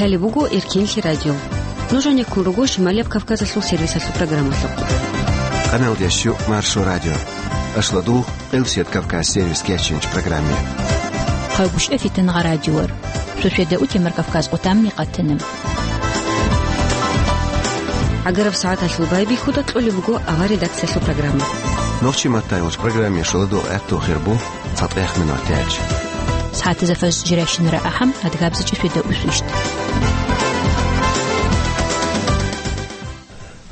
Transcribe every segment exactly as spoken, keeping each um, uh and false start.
Гьале буго Эркенлъи радио. Нуж гӀенеккун руго Шималияб Кавказалъул сервисалъул программалъухъ. Къаналдеш щу Маршо радио. Ашладул Къилсият Кавказ сервис кечинч программе. Хъайгушев Фитангъа радиор. Шошеда утемар Кавказ къутамни къатана. ГӀагараб сагӀаталъул байбихьуда кьолеб буго авар редакциялъул программа. Нохчи маттайилч программе шоладул гӀехту хирбу. ЦатӀехъ минутач. СагӀатазда фажр жирайщинара ахӀам, адгабзачӀи шведа усвищт.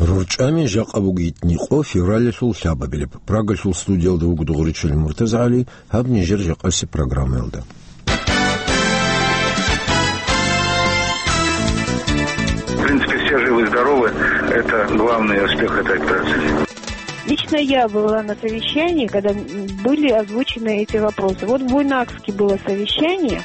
РурчӀами жакъа бугитни къо февралалъул лъабабилеб. Прагалъул студиялда вуго Дугъричил МуртазагӀали, гьаб нижер жакъаси программаялда. В принципе, все живы-здоровы. Это главный успех этой операции. Лично я была на совещании, когда, м, были озвучены эти вопросы. Вот в Буйнакске было совещание.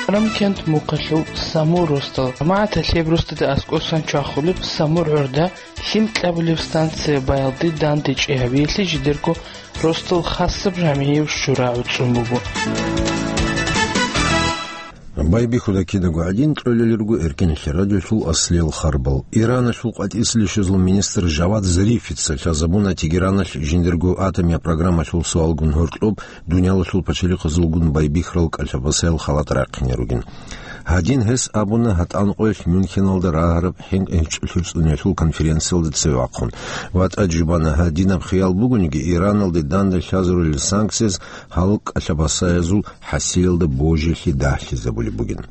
Рамкент мухъалъув Самур ростал. МагӀаталъеб рустада аскӀосан чвахулеб Самур гӀурда лъим кьабулеб станция баялде данде чӀегьабиялъе жидерго ростал хасаб жамигӀив шура гӀуцӀун буго. Байбихьуда кидаго гӀадин кьолел руго Эркенлъи радиолъул аслиял харбал. Ираналъул къватӀисел щвезул министр Жавад Зарифица лъазабуна Тегераналъ жиндирго атомия программалъул суалгун гьоркьоб дуниялалъул пачалихъазулгун байбихьарал кӀалъабасаял халат рахъине ругин. Гьадин гьес абуна гьатӀан къоялъ Мюнхеналда рагьараб хӀинкъи гьечӀолъи цӀуниялъул конференциялда цеве вахъун. ВатӀа жубана, гьадинаб хиял бугониги, Ираналде данде лъазарулел санкцияз гьал кӀалъабасаязул хӀасилалда божилъи дагьлъизабулеб бугин.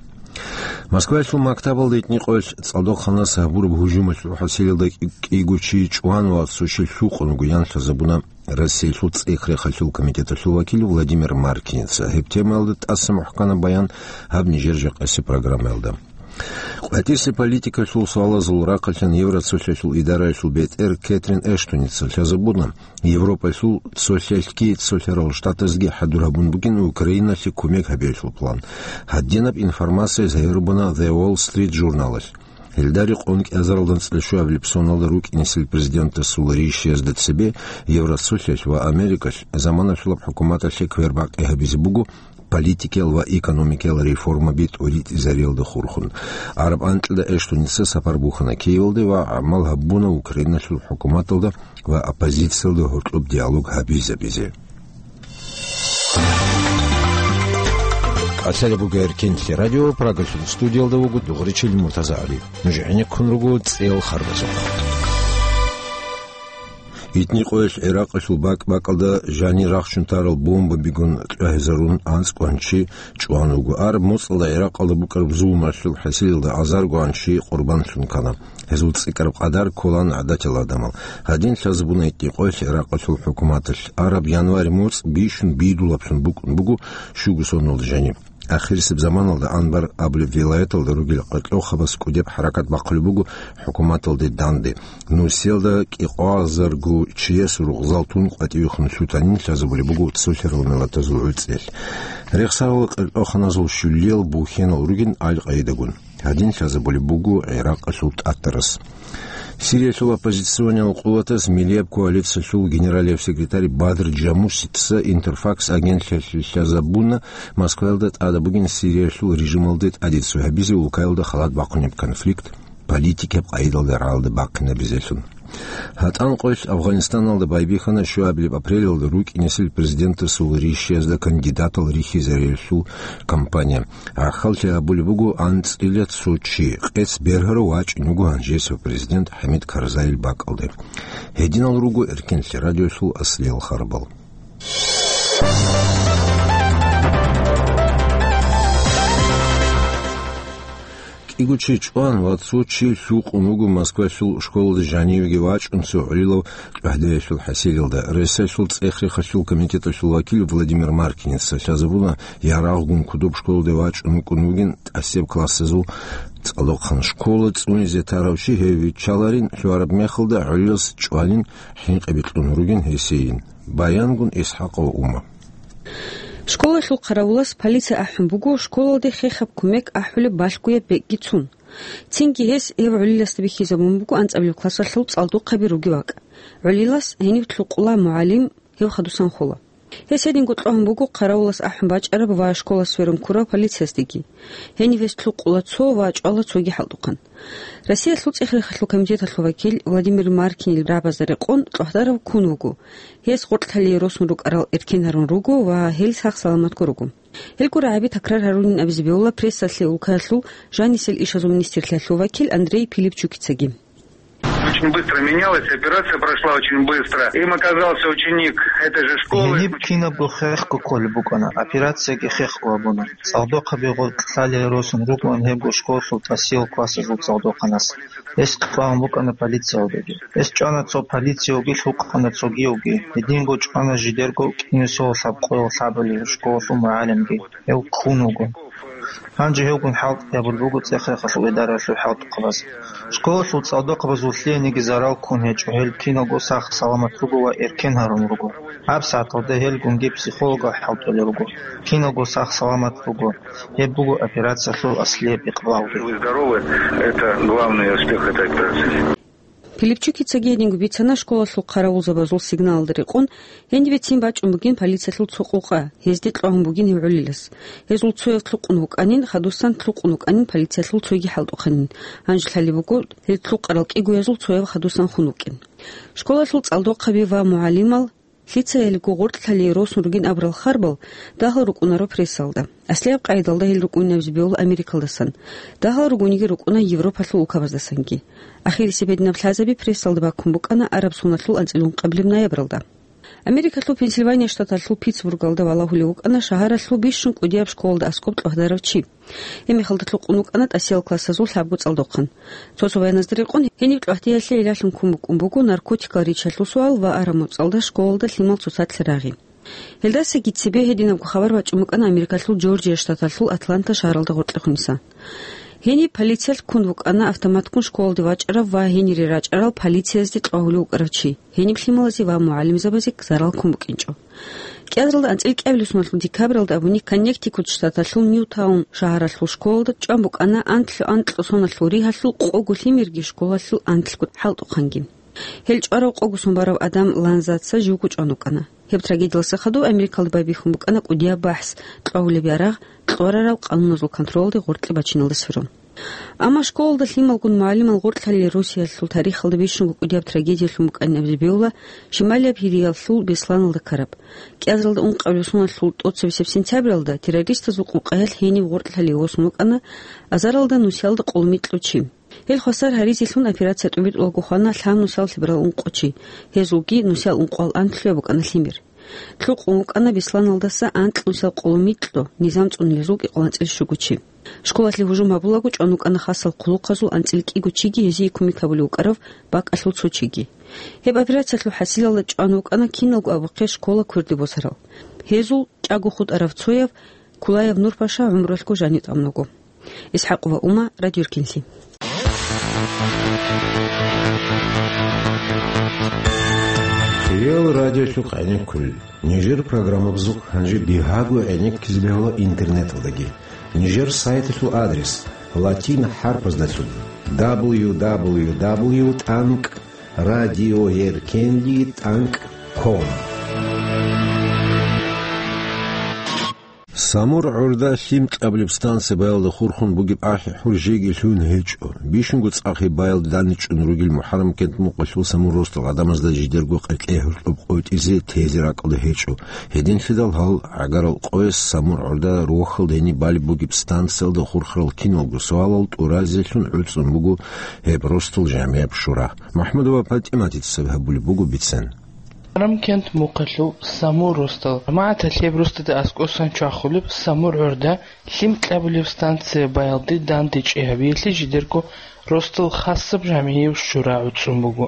Москваялъул мактабалда итни къоялъ цӀалдохъанас гьабураб гьужумалъул хӀасилалда кӀи-, кӀиго чи чӀван ва цо чи лъукъун вуго, ян лъазабуна Россиялъул цӀех-рехалъул комитеталъул вакил Владимир Маркиница. Гьеб темаялда тӀаса мухӀкана баян гьаб нижер жакъаси программаялда. КъватӀисе политикалъул суалазул рахъалъан Евроцолъалъул идараялъул бетӀер Кэтрин Эштоница лъазабуна, Европалъул цолъалъги цолъарал штатазги хӀадур гьабун бугин Украиналъе кумек гьабиялъул план. Гьадинаб информация загьирбуна The Wall Street журналалъ. Гьелда рекъон кӀиазаралда анцӀила щуабилеб соналда рукӀинесел президентасул ришиязда цебе Евроцолъалъ ва Америкалъ заманалъулаб хӀукуматалъе квербакъи гьабизе буго политикиял ва экономикиял реформаби тӀуритӀизариялда хурхун. Араб анкьида Эштоница сапар бухьана Киевалде ва гӀамал гьабуна Украиналъул хӀукуматалда ва оппозициялда гьоркьоб диалог гьабизабизе. КӀалъалеб буго Эркенлъи радио, Прагалъул студиялда вуго Дугъричил МуртазагӀали. Нуж гӀенеккун руго цӀел харбазухъ. Итни къоялъ ГӀиракъалъул бакӀ-бакӀалда жанир рахчун тарал бомбабигун кьвагьизарун анцӀкӀван чи чӀван вуго. Араб моцӀалда ГӀиракъалда букӀараб зулмалъул хӀасилалда азаргоан чи къурбанлъун ккана. Гьезул цӀикӀкӀараб къадар кколаан гӀадатал гӀадамал. Гьадин лъазабуна итни къоялъ ГӀиракъалъул хӀукуматалъ. Араб январь моцӀ бищун бедулаблъун букӀун буго щуго соналда жаниб. Ахирисеб заманалда Анбар абулеб вилаяталда ругел къеркьохабаз кӀудеб хӀаракат бахъулеб буго хӀукуматалде данде. Нусиялда кӀикъвазарго чияс ругъзал тун къватӀивехун лъутанин лъазабулеб буго цолъарал миллатазул гӀуцӀел. Рехсарал къеркьоханазул щулиял бухьенал ругин Аль-Къаидагун. Гьадин лъазабулеб буго ГӀиракъалъул тӀатарас. Сириялъул оппозициониял къуватаз миллияб коалициялъул генералияб секретарь Бадр Джамусица Интерфакс агентлъиялъе лъазабуна Москваялда тӀадаб бугин Сириялъул режималде тӀаде цо гьабизе улкаялда халат бахъунеб конфликт политикияб къагӀидалда рагӀалде бахъинабизелъун. ГьатӀан къоялъ Афганистаналда байбихьана щуабилеб апрелалда рукӀинесел президентасул ришиязда кандидатал рихьизариялъул кампания. ГӀахьаллъи абулеб буго анцӀила цо чи, къец бергьарав вачӀун вуго гьанжесев президент ХӀамид Карзайил бакӀалде. Гьединал руго Эркенлъи радиолъул аслиял харбал. КӀиго чи чӀван ва цо чи лъукъун вуго Москвалъул школалда жанивеги вачӀун цо гӀолилав кьвагьдаялъул хӀасилалда. Россиялъул цӀех-рехалъул комитеталъул вакил Владимир Маркиница лъазабуна, ярагъгун кодоб школалде вачӀун вукӀун вугин тӀасеб классазул цӀалдохъан. Школа цӀунизе тарав чи гьев виччаларин лъугьараб мехалда гӀолилас чӀвалин хӀинкъи бикьун ругин гьесейин. Баянгун ИсхӀакъова Ума. Школалъул хъаравулас полиция ахӀун буго школалде хехаб кумек ахӀулеб балъгояб бекӀги цун. Цинги гьес гьев гӀолиласда бихьизабун буго анцӀабилеб классалъул цӀалдохъаби ругев вакӀ. ГӀолилас гьениб лъукъула мугӀалим гьев хадусан хола. Гьес гьединго кьвагьун буго хъаравулас ахӀун бачӀараб ва школалъ сверун ккурав полициясдеги. Гьенив гьес лъукъула цо ва чӀвала цоги хӀалтӀухъан. Россиялъул цӀех-рехалъул комитеталъул вакил Владимир Маркинил рагӀабазда рекъон кьвагьдарав ккун вуго. Гьес гъоркьлъалие росун рукӀарал эркен гьарун руго ва гьел сах-саламатго руго. Гьелго рагӀаби такрар гьарунин абизе бегьула прессалъе улкаялъул жанисел ишазул министрлъиялъул вакил Андрей Пилипчукицаги. Очень быстро менялась, операция прошла очень быстро. Им оказался ученик этой же школы. Гьениб кинабго хехго кколеб букӀана, операцияги хехго гьабуна. ЦӀалдохъаби гъоркьлъалие росун рукӀун гьебго школалъул тӀасиял классазул цӀалдохъанас. Гьес кьвагьун букӀана полициялдаги. Гьес чӀвана цо полициявги, лъукъана цогиявги. Гьединго чӀвана жидерго кӀинусиялда лъабкъоялда лъабабилеб школалъул мугӀалимги. Гьев ккун вуго. Гьанже гьевгун хӀалтӀи гьабулеб буго цӀех-рехалъул идараялъул хӀалтӀухъабаз. Школалъул цӀалдохъабазул лъиениги зарал ккун гьечӀо, гьел киналго сах-саламат руго ва эркен гьарун руго. Гьаб сагӀаталда гьелгунги психологал хӀалтӀулел руго, киналго сах-саламат буго. Гьеб буго операциялъул аслияб икъбалги. Живы-здоровы, это главный успех этой операции. Пилипчукицаги гьединго бицана школалъул хъаравулзабазул сигналалда рекъон, гьенибе цин бачӀун бугин полициялъул цо къокъа, гьезде кьвагьун бугин гьев гӀолилас. Гьезул цояв лъукъун вукӀанин, хадусан лъукъун вукӀанин полициялъул цоги хӀалтӀухъанин. Гьанже лъалеб буго, гьел лъукъарал кӀигоязул цояв хадусан хун вукӀин. Школалъул цӀалдохъаби ва мугӀалимал, лъицаялиго гъоркьлъалие росун ругин абурал харбал дагьал рукӀунаро прессалда. Аслияб къайдалда гьел рукӀунин абизе бегьула Америкалдасан. Дагьал ругониги рукӀуна Европалъул улкабаздасанги. Ахирисеб гьединаб лъазаби прессалда баккун букӀана араб соналъул анцӀила ункъабилеб ноябралда. Америкалъул Пенсильвания штаталъул Питтсбургалда валагьулев вукӀана шагьаралъул бищун кӀудияб школалда аскӀоб кьвагьдарав чи. Гьеб мехалда лъукъун вукӀана тӀасиял классазул лъабго цӀалдохъан. Цо-цо баяназда рекъон, гьениб кьвагьдеялъе гӀиллалъун ккун букӀун буго наркотикал ричалъул суал ва араб муцӀалда школалда лъимал цоцалъ рагъи. Гьелдасаги цебе гьединабго хабар бачӀун букӀана Америкалъул Джорджия штаталъул Атланта шагьаралда гъоркьехуниса. Гьениб полициялъ ккун букӀана автоматккун школалде вачӀарав ва гьенире рачӀарал полициязде кьвагьулев вукӀарав чи. Гьениб лъималазе ва мугӀалимзабазе зарал ккун букӀинчӀо. КӀиазаралда анцӀила кӀиабилеб соналъул декабралда абуни Коннектикут штаталъул Ньютаун шагьаралъул школалда чӀван букӀана анлъго анкьго соналъул ригьалъул къого лъимерги школалъул анлъго хӀалтӀухъанги. Гьел чӀварав къого сон барав адам Ланзаца живго чӀван вукӀана. Гьеб трагедиялдаса хадуб Америкалда байбихьун букӀана кӀудияб бахӀс, кьвагьулеб ярагъ, кьварарал къануназул контролалде гъоркье бачиналде сверун. Амма школалда лъималгун мугӀалимал гъоркьлъалие Россиялъул тарихалда бищунго кӀудияб трагедиялъун букӀанин абизе бегьула Шималияб Гьириялъул Бесланалда ккараб. КӀиазаралда ункъабилеб соналъул тӀоцебесеб сентябралда террористазул къокъаялъ гьенив гъоркьлъалие восун вукӀана азаралда нусиялда къоло микьго чи. Гьел хвасар гьаризелъун операция тӀубитӀулаго хвана лъабнусал лъеберал ункъо чи, гьезулги нусиялъ ункъоялда анлъго букӀана лъимер. Лъукъун вукӀана Бесланалдаса анкьнусиялъ къоло микьго, низам цӀунулезул кӀикъоялда анцӀила щуго чи. Школалъе гьужум гьабулаго чӀван вукӀана хасал хъулухъазул анцӀила кӀиго чиги гьезие кумек гьабулев вукӀарав бакӀалъул цо чиги. Гьеб операциялъул хӀасилалда чӀван вукӀана киналго абухъе школа кверде босарал. Гьезул чӀаго хутӀарав цояв Кулаев Нурпаша гӀумруялъго жанив тӀамун вуго. ИсхӀакъова Ума, Радио Эркенлъи. Кирил радиолъухъ гӀенеккулел. Нижер программабазухъ гьанже бигьаго гӀенеккизе бегьула интернеталдаги. Нижер сайталъул адрес латин хӀарпаздалъун: дабл ю дабл ю дабл ю тӀанкӀ радиоэркенлъи тӀанкӀ ком. Самур гӀурда лъим кьабулеб станция баялда хурхун бугеб ахӀи-хӀур жеги лъугьун гьечӀо. Бищунго цӀакъ гьеб баялда данде чӀун ругел МухӀаррам кент мукъалъул Самур росдал гӀадамазда жидерго къеркье-гьоркьоб къотӀизе тезе ракӀалда гьечӀо. Гьединлъидал гьал гӀагарал къояс Самур гӀурда рохьалда гьениб балеб бугеб станциялда хурхарал киналго суалал тӀуразелъун гӀуцӀун буго гьеб росдал жамигӀаб шура. МахӀмудова ПатӀиматица гьабулеб буго бицен. МухӀаррам кент мухъалъул Самур росдал. ЖамагӀаталъ гьеб росдада аскӀосан чвахулеб Самур гӀурда лъим кьабулеб станция баялде дандечӀей гьабиялъе жидерго росдал хасаб жамигӀияв шура гӀуцӀун буго.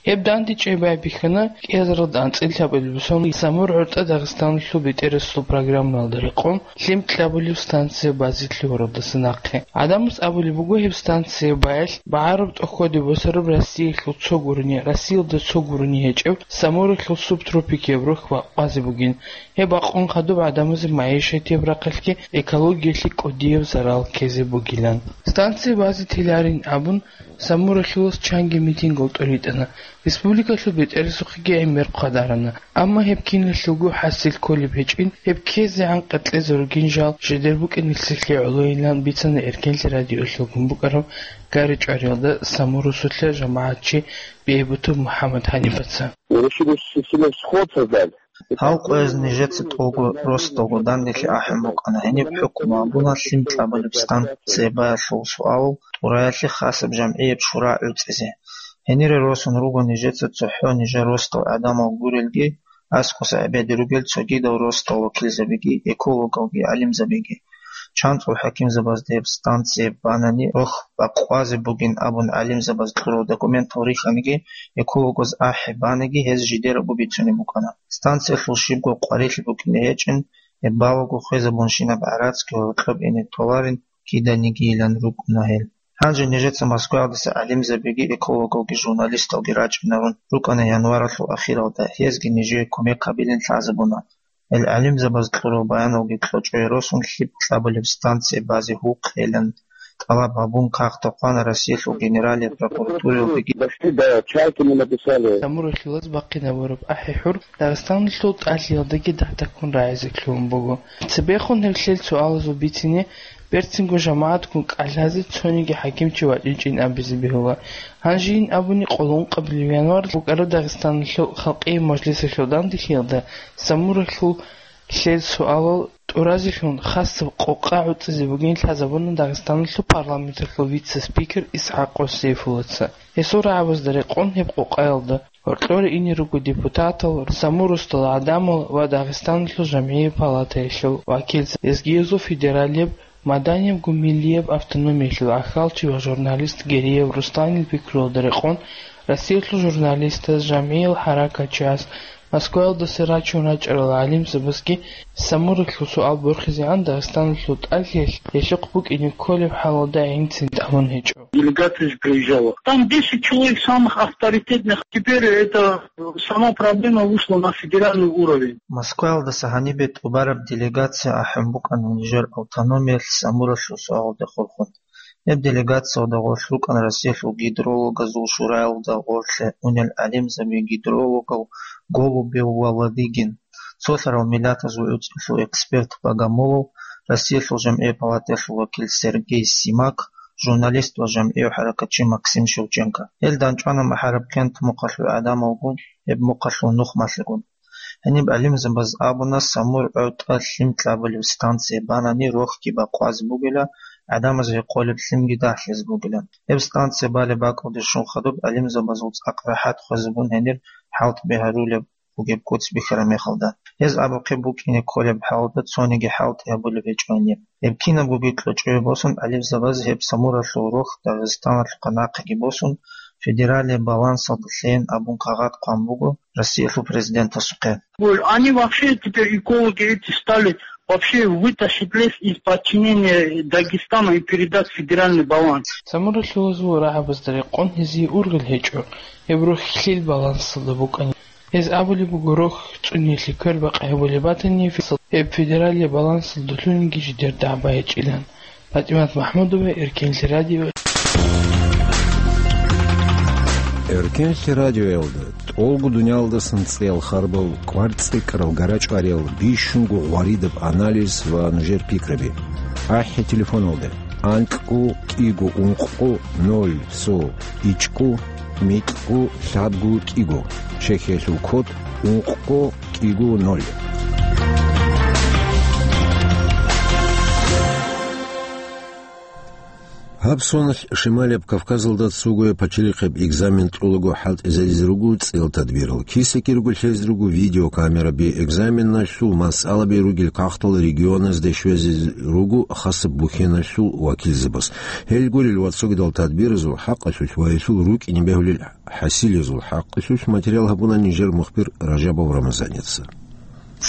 Гьеб дандечӀей байбихьана кӀиазаралда анцӀила лъабабилеб соналъ Самур гӀурда Дагъистаналъул бетӀерасул программаялда рекъон лъим кьабулеб станция базе лъугьаралдаса нахъе. ГӀадамаз абулеб буго гьеб станция баялъ багӀараб тӀохьоде босараб Россиялъул цо гурони, Россиялда цо гурони гьечӀеб Самуралъул субтропикияб рохь бакъвазе бугин. Гьеб бакъун хадуб гӀадамазе магӀишатияб рахъалъги экологиялъе кӀудияб зарал ккезе бугилан. Станция базе теларин абун, Самуралъулас чанги митингал тӀолитӀана. Республикалъул бетӀерасухъеги гӀемер хъвадарана, амма гьеб киналъулго хӀасил кколеб гьечӀин, гьеб ккезегӀан къеркьезе ругин жал жидер букӀин нилъеде гӀолойилан бицана Эркенлъи радиоялъулгун букӀараб ГӀаричӀвариялда Самур росулъа жамагӀатчи Бегьбутов МухӀаммад-Гьанибаца. Решили силос хвоцазал. Гьав къояз нижеца тӀолго росдалго данделъи ахӀун букӀана, гьениб хӀукму гьабуна лъим кьабулеб станция баялъул суалал тӀураялъе хасаб жамгӀияб шура гӀуцӀизе. Гьенире росун руго нижеца цохӀо нижер росдал гӀадамал гурелги, аскӀоса гӀебеде ругел цогидал росдал вакилзабиги, экологалги, гӀалимзабиги. ЧанцӀул хӀакимзабазда гьеб станция банани, рохь бакъвазе бугин абун гӀалимзабаз кьурал документал рихьаниги, экологаз ахӀи баниги, гьез жидерго бицунеб букӀана. Станциялъул щибго къварилъи букӀине гьечӀин, гьеб балаго хвезабунщинаб гӀарацги гьоркьоб ине толарин киданигийилан рукӀуна гьел. Гьанже нижеца Москваялдаса гӀалимзабиги, экологалги, журналисталги рачӀинарун рукӀана январалъул ахиралда, гьезги нижее кумек гьабилин лъазабуна. Гьел гӀалимзабаз кьурал баяналги кьочӀое росун лъим кьабулеб станция базе гьукъейилан тӀалаб гьабун, кагътал хъвана Россиялъул Генералияб прокуратураялдеги. Почти, да, чайками написали. Самур рахилаз бахъинабураб ахӀи-хӀур Дагъистаналъул тӀалъиялдаги дагьдаккун рагӀизе кколеб буго. Цебехун гьеб лъел суалазул бицине берцинго жамагӀатгун кӀалъазе цониги хӀакимчи вачӀинчӀин абизе бегьула. Гьанжейин абуни, къолонкъабилеб январ букӀараб Дагъистаналъул Халкъияб Мажлисалъул данделъиялда Самур рахилал лъел суалал тӀуразелъун хасаб къокъа гӀуцӀизе бугин лъазабуна Дагъистаналъул парламенталъул вице-спикер ИсхӀакъов Сейфуллаца. Гьесул рагӀабазда рекъон гьеб къокъаялда гьоркьоре ине руго депутатал, Самур росдал гӀадамал ва Дагъистаналъул жамгӀияб палатаялъул вакилзабаз, лезгиязул федералияб, маданияб, гумилияб автономиялъул ахьалчи ва журналист Гериев Русланил пикруялда рекъон Россиялъул журналистаз, жамгӀиял хӀаракатчияс, Москваялдаса рачун рачӀарал гӀалимзабазги Самур рахилал суал борхизегӀан Дагъистаналъул тӀалъиялъ гьелъухъ букӀине кколеб хӀалалда гӀинцин тӀамун гьечӀо. Делегация же приезжала. Там десять человек самых авторитетных. Теперь это сама проблема вышла на федеральный уровень. Москваялдаса гьанибе тӀубараб делегация ахӀун букӀана нижер автономиялъ Самур рахилал суалалде хурхун. Гьеб делегациялда гъорлъ рукӀана Россиялъул гидрологазул шураялда гъорлъе унел гӀалимзаби, гидрологал Голубев ва Ладыгин, цолъарал миллатазул гӀуцӀрулъул эксперт Богомолов, Россиялъул жамгӀияб палатаялъул вакил Сергей Симак, журналист ва жамгӀияв хӀаракатчи Максим Шевченко. Гьел данчӀвана МахӀарабкент мухъалъул гӀадамалгун, гьеб мухъалъул нухмалъигун. Гьениб гӀалимзабаз абуна, Самур гӀотӀа лъим кьабулеб станция банани, рохьги бакъвазе бугила, гӀадамаз гьекъолеб лъимги дагьлъизе бугилан. Гьеб станция балеб бакӀалде щун хадуб гӀалимзабазул цӀакъ рахӀат хвезабун гьенир хӀалтӀби гьарулеб бугеб куц бихьараб мехалда. Гьез абухъе букӀине кколеб хӀалалда цониги хӀалтӀи гьабулеб гьечӀо гьениб. Гьеб кинабгоги кьочӀое босун, гӀалимзабаз гьеб Самур рахилал рохь Дагъистаналъухъа нахъеги босун, федералияб балансалда лъейин абун кагъат хъван буго Россиялъул президентасухъе. Они вообще теперь, экологи эти, стали вообще вытащить лес из подчинения Дагестана и передать федеральный баланс. Самур рахилазул рагӀабазда рекъон гьезие ургъел гьечӀо, гьеб рохь лъил балансалда букӀани. Гьез абулеб буго, рохь цӀуниялъе квербакъи гьабулеб батани, гьеб федералияб балансалда лъугьинги жидер дагӀба гьечӀилан. ПатӀимат МахӀмудова, Эркенлъи радио. Эркенлъи радиоялда тӀолго дуниялдасан цӀеял харбал, кӀвар цӀикӀкӀарал, гӀарачӀвариял, бищунго гъваридаб анализ ва нужер пикраби. АхӀи телефоналда: анкьго кӀиго ункъго ноль цо ичӀго микьго лъабго кӀиго, чехиялъул код ункъго кӀиго ноль. Гьаб соналъ Шималияб Кавказалда цогояб пачалихъияб экзамен кьолаго хӀалтӀизаризе руго цӀеял тадбирал. КисекӀирго лъезе руго видеокамераби, экзаменалъул масъалаби ругел кагътал регионазде щвезе руго хасаб бухьеналъул вакилзабаз. Гьел гурел ва цогидал тадбиразул хӀакъалъулъ ва гьелъул рукӀине бегьулел хӀасилезул хӀакъалъулъ материал гьабуна нижер мухбир Ражабов Рамазаница.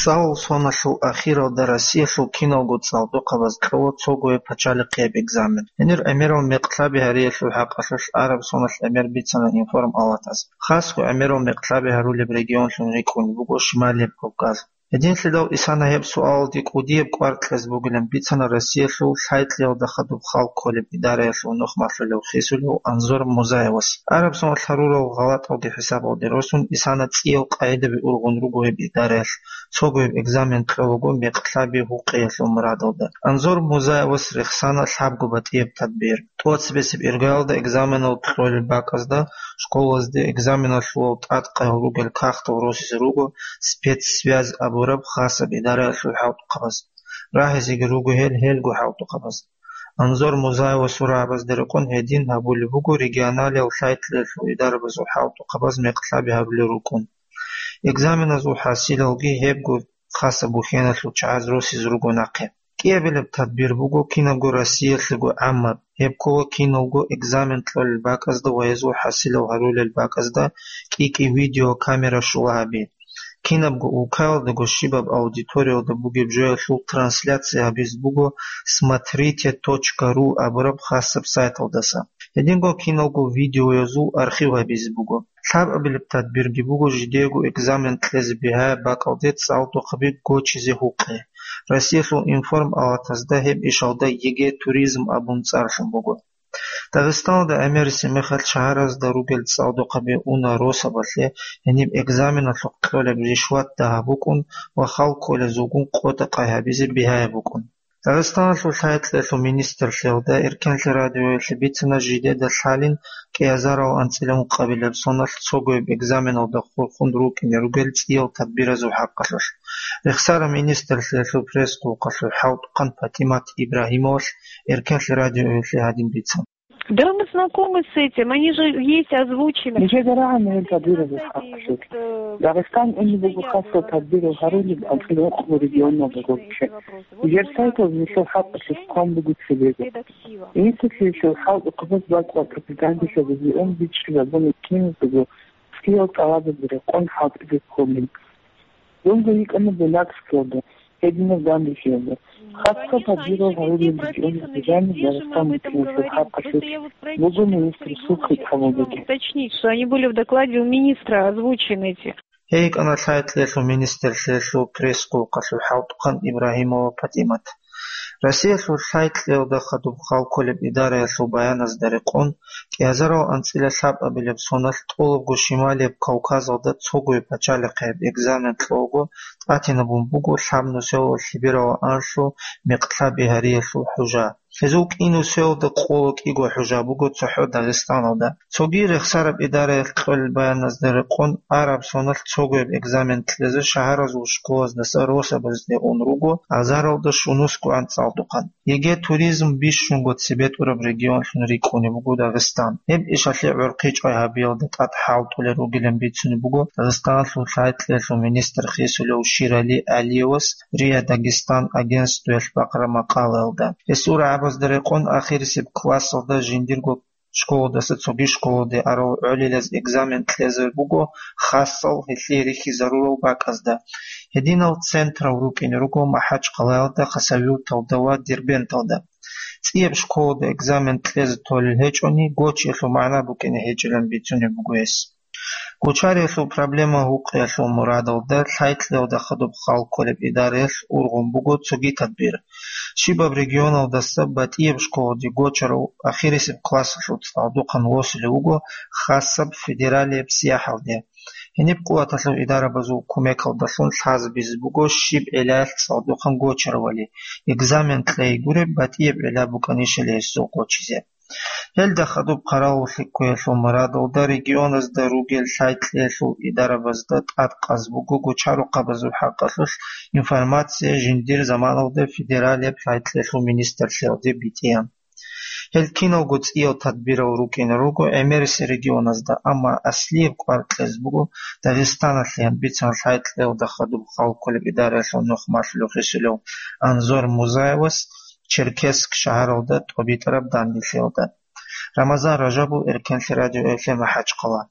ЦӀалул соналъул ахиралда Россиялъул киналго цӀалдохъабаз кьола цогояб пачалихъияб экзамен. Гьенир гӀемерал мекъ лъаби гьариялъул хӀакъалъулъ араб соналъ гӀемер бицана Информ Алатас. Хасго гӀемерал мекъ лъаби гьарулеб регионлъун рикӀкӀунеб буго Шималияб Кавказ. Гьединлъидал исана гьеб суалалде кӀудияб кӀвар кьезе бугилан бицана Россиялъул лъай-кьеялда хадуб хал кколеб идараялъул нухмалъулев хисулев Анзор Музаевас. Араб соналъ гьарурал гъалатӀалги хӀисабалги росун, исана цӀиял къагӀидаби ургъун руго гьеб идараялъ, цогояб экзамен кьолаго мекълъаби гьукъиялъул мурадалда. Анзор Музаевас рехсана лъабго батӀияб тадбир. ТӀоцебесеб иргаялда экзаменал кьолел бакӀазда школазде экзаменалъулал тӀадкъаял ругел кагътал росизе руго спецсвязь абураб хасаб идараялъул хӀалтӀухъабаз. Рагьизеги руго гьел гьелго хӀалтӀухъабаз. Анзор Музаевасул рагӀабазда рекъон гьедин гьабулеб буго регионалиял лъай-кьеялъул идарабазул хӀалтӀухъабаз мекълъаби гьарулел рукӀун. Экзаменазул хӀасилалги гьебго хасаб бухьеналъул чагӀаз росизе руго нахъе. КӀиабилеб тадбир буго кинабго Россиялъего гӀаммаб, гьеб ккола киналго экзамен кьолел бакӀазда ва гьезул хӀасилал гьарулел бакӀазда кӀи-кӀи видеокамера щула гьаби. Кинабго улкаялдаго щибаб аудиториялда бугеб жоялъул трансляция гьабизе буго смотрите точка ру абураб хасаб сайталдаса. Гьединго киналго видеоязул архив гьабизе буго. Лъабабилеб тадбирги буго жидеего экзамен кьезе бигьаяб бакӀалде цӀалдохъаби гочизе гьукъи. Россиялъул информ палатазда гьеб ишалда ЕГЭ туризм абун цӀарлъун буго. Дагъистаналда гӀемерисеб мехалъ шагьаразда ругел цӀалдохъаби уна росабалъе гьениб экзаменалъухъ кьолеб ришват дагьаб букӀун ва хал кколезулгун къотӀа-къай гьабизе бигьаяб букӀун. Дагъистаналъул лъай-кьеялъул министрлъиялда Эркенлъи радиоялъе бицана жидеда лъалин кӀиазарал анцӀила ункъабилеб соналъ цогояб экзаменалда хурхун рукӀине ругел цӀиял тадбиразул хӀакъалъулъ. Рехсараб министрлъиялъул пресс-къулкъалъул хӀалтӀухъан ПатӀимат Ибрагьимовалъ Эркенлъи радиоялъе гьадин бицана. Да, мы знакомы с этим, они же есть озвучены. Нижеда рагӀана гьел тадбиразул хӀакъалъулъ. Дагъистан унеб буго хасал тадбирал гьарулел анцӀила ункъабго регионалда гурччи. Нижер сайтал нилъер хӀакъалъулъ хъван буго цебего. Институталъул хӀалтӀухъабаз бакӀ ва пропагандалъе гьезие ун бичӀчӀизабуна киназдаго цӀиял тӀалабазе рекъон хӀалтӀизе кколин. Дунго йикӀана Буйнакскиялда, гьединаб Гамбихиялда. Хасго тадбирал гьарулел регионалда жаниб Дагъистан букӀиналъул хӀакъалъулъ буго министрасул хитӀабалдаги. Уточнить, что они были в докладе у министра озвучены эти. Гьей йикӀана лъай-кьеялъул министрлъиялъул пресс-къулкъалъул хӀалтӀухъан Ибрагьимова ПатӀимат. Россиялъул лъай-кьеялда хадуб хал кколеб идараялъул баяназда рекъон, кӀиазарал анцӀила лъабабилеб соналъ тӀолабго Шималияб Кавказалда цогояб пачалихъияб экзамен кьолаго тӀатинабун буго лъабнусиялда лъибералда анлъго мекълъаби гьариялъул хӀужа. Гьезул кӀинусиялда къоло кӀиго хӀужа буго цохӀо Дагъистаналда. Цоги рехсараб идараялъ кьолел баяназда рекъон, араб соналъ цогояб экзамен кьезе шагьаразул школаздаса росабазде ун руго азаралда щунусгоан цӀалдохъан. ЕГЭ туризм бищунго цебетӀураб регионлъун рикӀкӀунеб буго Дагъистан. Гьеб ишалъе гӀурхъи чӀвай гьабиялда тӀад хӀалтӀулел ругилан бицунеб буго Дагъистаналъул лъай-кьеялъул министр хисулев Ширали ГӀалиевас РИА Дагестан агентствоялъ бахъараб макъалаялда. Гьесул рагӀабазда рекъон, ахирисеб классалда жиндирго школадаса цоги школаде арав гӀолилаз экзамен кьезе буго хасал гьелъие рихьизарурал бакӀазда. Гьединал централ рукӀине руго МахӀачхъалаялда, Хасавюрталда ва Дербенталда. ЦӀияб школаде экзамен кьезе толел гьечӀони, гочиялъул магӀна букӀине гьечӀилан бицунеб буго гьес. Гочариялъул проблема гьукъиялъул мурадалда лъай-кьеялда хадуб хал кколеб идараялъ ургъун буго цоги тадбир. Щибаб регионалдаса батӀияб школаде гочарав ахирисеб классалъул цӀалдохъан восулев вуго хасаб федералияб сияхӀалде. Гьениб къуваталъул идарабазул кумекалдалъун лъазабизе буго щиб гӀиллаялъ цӀалдохъан гочаравали, экзамен кьей гуреб батӀияб гӀилла букӀанищали гьесул гочизе. Гьелда хадуб къаралулъе кквеялъул мурадалда регионазда ругел лъай-кьеялъул идарабазда тӀадкъаз буго гочарухъабазул хӀакъалъулъ информация жиндир заманалда федералияб лъай-кьеялъул министрлъиялде битӀеян. Гьел киналго цӀиял тадбирал рукӀине руго гӀемерисел регионазда, амма аслияб кӀвар кьезе буго Дагъистаналъе гьанбицан лъай-кьеялда хадуб хал кколеб идараялъул нухмалъулев хисулев Анзор Музаевас Черкесск шагьаралда тӀобитӀараб данделъиялда. Рамазан Ражабов, Эркенлъи радио, Эфир, МахӀачхъала.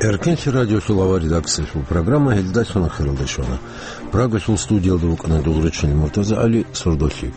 Эркенлъи радиолъул авария редакциялъул программа гьелдалъун ахиралде щвана. Прагалъул студиялда вукӀана дугӀруччул Муртаза ГӀали, сордолъи.